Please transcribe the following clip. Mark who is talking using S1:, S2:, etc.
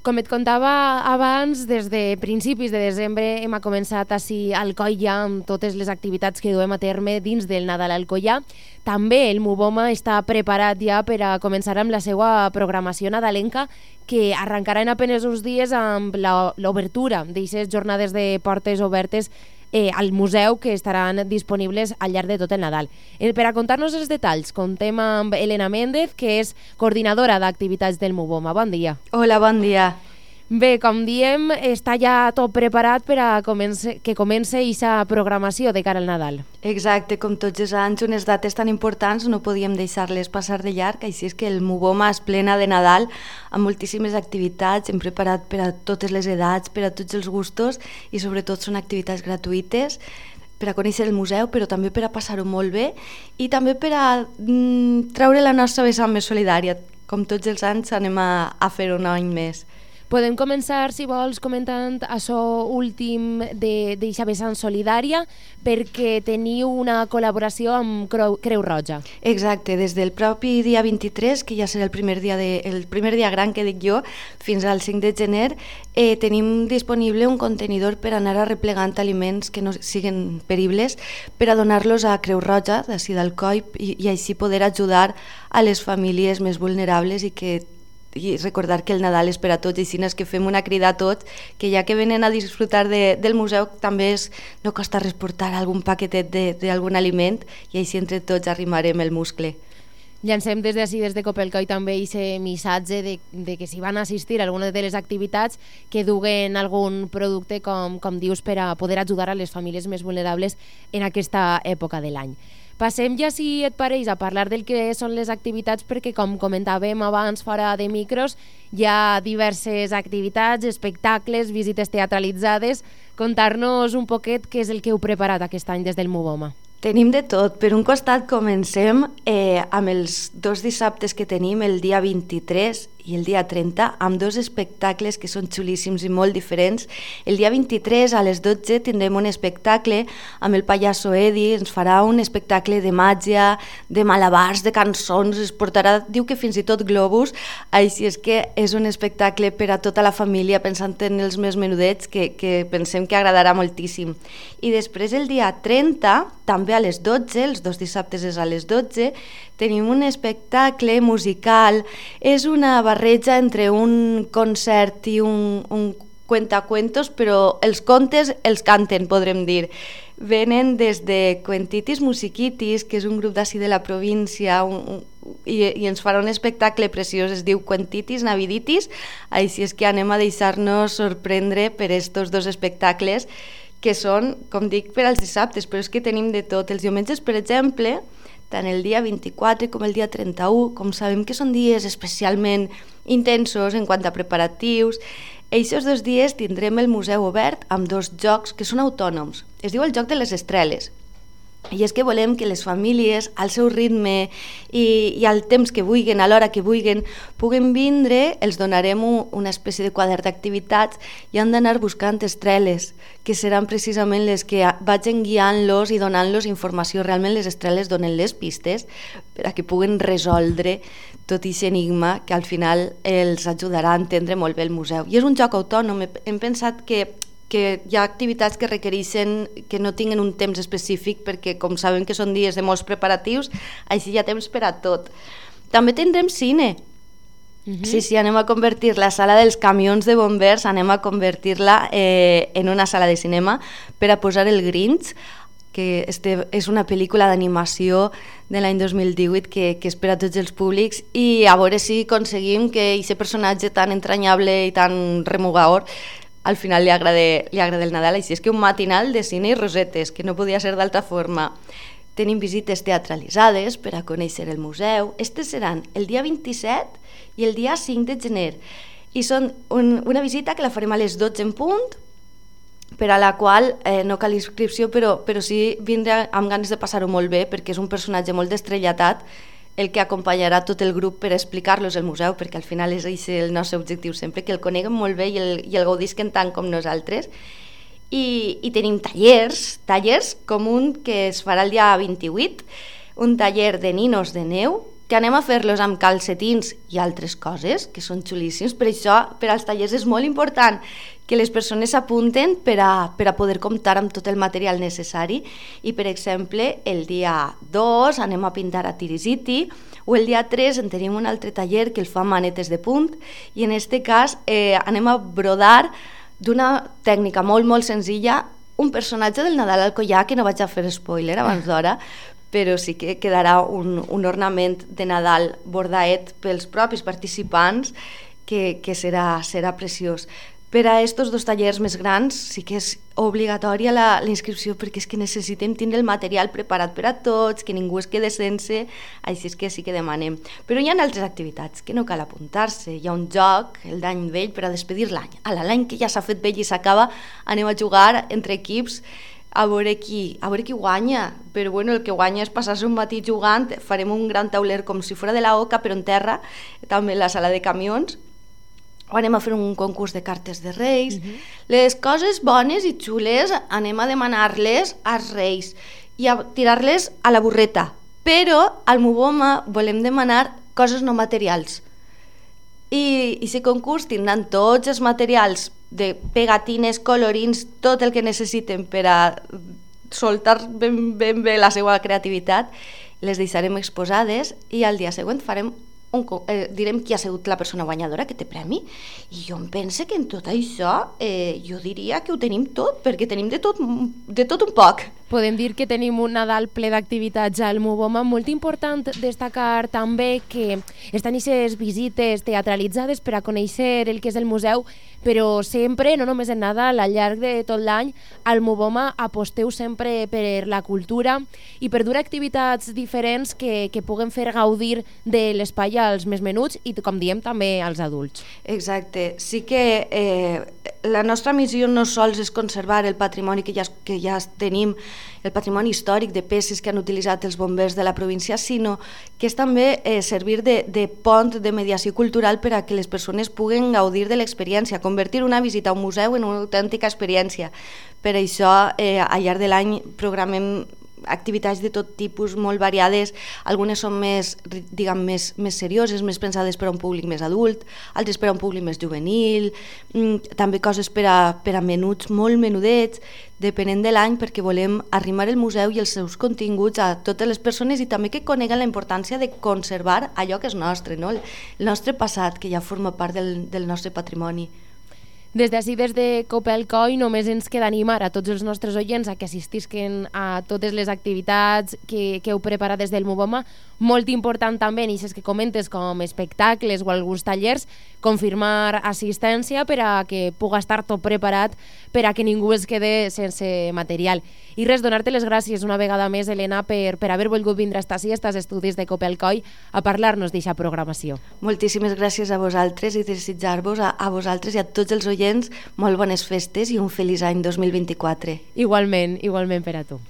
S1: Com et contava abans, des de principis de desembre hem començat així a Alcoia amb totes les activitats que duem a terme dins del Nadal a Alcoia. També el Muboma està preparat ja per a començar amb la seva programació nadalenca, que arrencarà en apenes uns dies amb l'obertura d'aquestes jornades de portes obertes al museu, que estaran disponibles al llarg de tot el Nadal. Per a contar-nos els detalls, contem amb Elena Méndez, que és coordinadora d'activitats del Muboma. Bon dia.
S2: Hola, bon dia.
S1: Bé, com diem, està ja tot preparat per a que comence aquesta programació de cara al Nadal.
S2: Exacte, com tots els anys, unes dates tan importants no podíem deixar-les passar de llarg, així és que el Muboma es plena de Nadal amb moltíssimes activitats, hem preparat per a totes les edats, per a tots els gustos, i sobretot són activitats gratuïtes per a conèixer el museu, però també per a passar-ho molt bé i també per a treure la nostra vessant més solidària. Com tots els anys anem a fer un any més.
S1: Podem començar, si vols, comentant això últim d'eixa vessant solidària, perquè teniu una col·laboració amb Creu Roja.
S2: Exacte, des del propi dia 23, que ja serà el primer dia gran que dic jo, fins al 5 de gener, tenim disponible un contenidor per anar arreplegant aliments que no siguin peribles, per a donar-los a Creu Roja, d'ací d'Alcoi, i així poder ajudar a les famílies més vulnerables i recordar que el Nadal és per a tots, i si no és que fem una crida a tots, que ja que venen a disfrutar del museu també no costa res portar algun paquetet d'algun aliment, i així entre tots arrimarem el muscle.
S1: Llancem des de Copelcoy també aquest missatge de que si van assistir a alguna de les activitats que duguen algun producte, com dius, per a poder ajudar a les famílies més vulnerables en aquesta època de l'any. Passem ja, si et pareix, a parlar del que són les activitats, perquè com comentàvem abans fora de micros, hi ha diverses activitats, espectacles, visites teatralitzades. Contar-nos un poquet què és el que heu preparat aquest any des del Muboma.
S2: Tenim de tot. Per un costat comencem amb els dos dissabtes que tenim, el dia 23 i el dia 30, amb dos espectacles que són xulíssims i molt diferents. El dia 23 a les 12 tindrem un espectacle amb el pallasso Edi, ens farà un espectacle de màgia, de malabars, de cançons, es portarà, diu que fins i tot globus, així és que és un espectacle per a tota la família, pensant en els més menudets, que pensem que agradarà moltíssim. I després el dia 30, també a les 12, els dos dissabtes és a les 12, tenim un espectacle musical, és una barreja entre un concert i un cuentacuentos, però els contes els canten, podrem dir. Venen des de Cuentitis Musiquitis, que és un grup d'ací de la província, i ens farà un espectacle preciós, es diu Cuentitis Naviditis, així és que anem a deixar-nos sorprendre per estos dos espectacles, que són, com dic, per als dissabtes, però és que tenim de tot. Els diumenges, per exemple, tant el dia 24 com el dia 31, com sabem que són dies especialment intensos en quant a preparatius, aquests dos dies tindrem el museu obert amb dos jocs que són autònoms. Es diu el joc de les estreles. I és que volem que les famílies, al seu ritme i al temps que vulguin, a l'hora que vulguin, puguen vindre, els donarem una espècie de quadern d'activitats i han d'anar buscant estreles, que seran precisament les que vagin guiant-los i donant-los informació. Realment les estreles donen les pistes per a que puguen resoldre tot aquest enigma que al final els ajudarà a entendre molt bé el museu. I és un joc autònom, hem pensat que hi ha activitats que requereixen que no tinguin un temps específic, perquè com sabem que són dies de molts preparatius, així hi ha temps per a tot. També tindrem cine. Sí, anem a convertir la sala dels camions de bombers, anem a convertir-la en una sala de cinema per a posar el Grinch, que és una pel·lícula d'animació de l'any 2018 que és per a tots els públics, i a veure si aconseguim que aquest personatge tan entranyable i tan remugador al final li agrada el Nadal. Així és que un matinal de cine i rosetes, que no podia ser d'altra forma. Tenim visites teatralitzades per a conèixer el museu. Estes seran el dia 27 i el dia 5 de gener. I són una visita que la farem a les 12 en punt, per a la qual no cal inscripció, però sí vindre amb ganes de passar-ho molt bé, perquè és un personatge molt estrellat el que acompanyarà tot el grup per explicar-los el museu, perquè al final és el nostre objectiu sempre, que el coneguem molt bé i el gaudisquen tant com nosaltres. I tenim tallers com un que es farà el dia 28, un taller de ninos de neu, que anem a fer-los amb calcetins i altres coses, que són xulíssims. Per això, per als tallers és molt important que les persones s'apunten per a poder comptar amb tot el material necessari. I, per exemple, el dia 2 anem a pintar a tirisiti, o el dia 3 en tenim un altre taller que el fa manetes de punt, i en aquest cas anem a brodar d'una tècnica molt, molt senzilla un personatge del Nadal al collar, que no vaig a fer spoiler abans d'hora, però sí que quedarà un ornament de Nadal bordaet pels propis participants que serà preciós. Per a aquests dos tallers més grans sí que és obligatòria la inscripció, perquè és que necessitem tindre el material preparat per a tots, que ningú es quede sense, així és que sí que demanem. Però hi ha altres activitats que no cal apuntar-se. Hi ha un joc, el d'any vell, per a despedir l'any. L'any que ja s'ha fet vell i s'acaba, anem a jugar entre equips a veure qui guanya, però bueno, el que guanya és passar-se un matí jugant. Farem un gran tauler com si fos de la Oca, però en terra, també en la sala de camions, o anem a fer un concurs de cartes de Reis. Les coses bones i xules anem a demanar-les als Reis i a tirar-les a la burreta, però al Muboma volem demanar coses no materials. I aquest concurs tindran tots els materials de pegatines, colorins, tot el que necessiten per a soltar ben bé la seva creativitat. Les deixarem exposades i al dia següent direm qui ha sigut la persona guanyadora que té premi, i jo em penso que en tot això jo diria que ho tenim tot, perquè tenim de tot un poc.
S1: Podem dir que tenim un Nadal ple d'activitats al Muboma. Molt important destacar també que estan aquestes visites teatralitzades per a conèixer el que és el museu, però sempre, no només en Nadal, al llarg de tot l'any, al Muboma aposteu sempre per la cultura i per dur activitats diferents que puguen fer gaudir de l'espai als més menuts i, com diem, també als adults.
S2: Exacte. Sí que la nostra missió no sols és conservar el patrimoni que ja tenim, el patrimoni històric de peces que han utilitzat els bombers de la província, sinó que és també servir de pont de mediació cultural per a que les persones puguen gaudir de l'experiència, convertir una visita a un museu en una autèntica experiència. Per això, al llarg de l'any programem activitats de tot tipus, molt variades. Algunes són més serioses, més pensades per a un públic més adult, altres per a un públic més juvenil, també coses per a menuts molt menudets, depenent de l'any, perquè volem arrimar el museu i els seus continguts a totes les persones i també que coneguen la importància de conservar allò que és nostre, no? El nostre passat, que ja forma part del nostre patrimoni.
S1: Des d'ací, des de Copelcoy, només ens queda animar a tots els nostres oients a que assistisquen a totes les activitats que heu preparat des del Muboma. Molt important també, en aquestes que comentes, com espectacles o alguns tallers, confirmar assistència per a que puga estar tot preparat per a que ningú es quede sense material. I res, donar-te les gràcies una vegada més, Helena, per haver volgut vindre a estar ací, als estudis de Copelcoy, a parlar-nos d'aquesta programació.
S2: Moltíssimes gràcies a vosaltres i desitjar-vos a vosaltres i a tots els oients molt bones festes i un feliç any 2024.
S1: Igualment per a tu.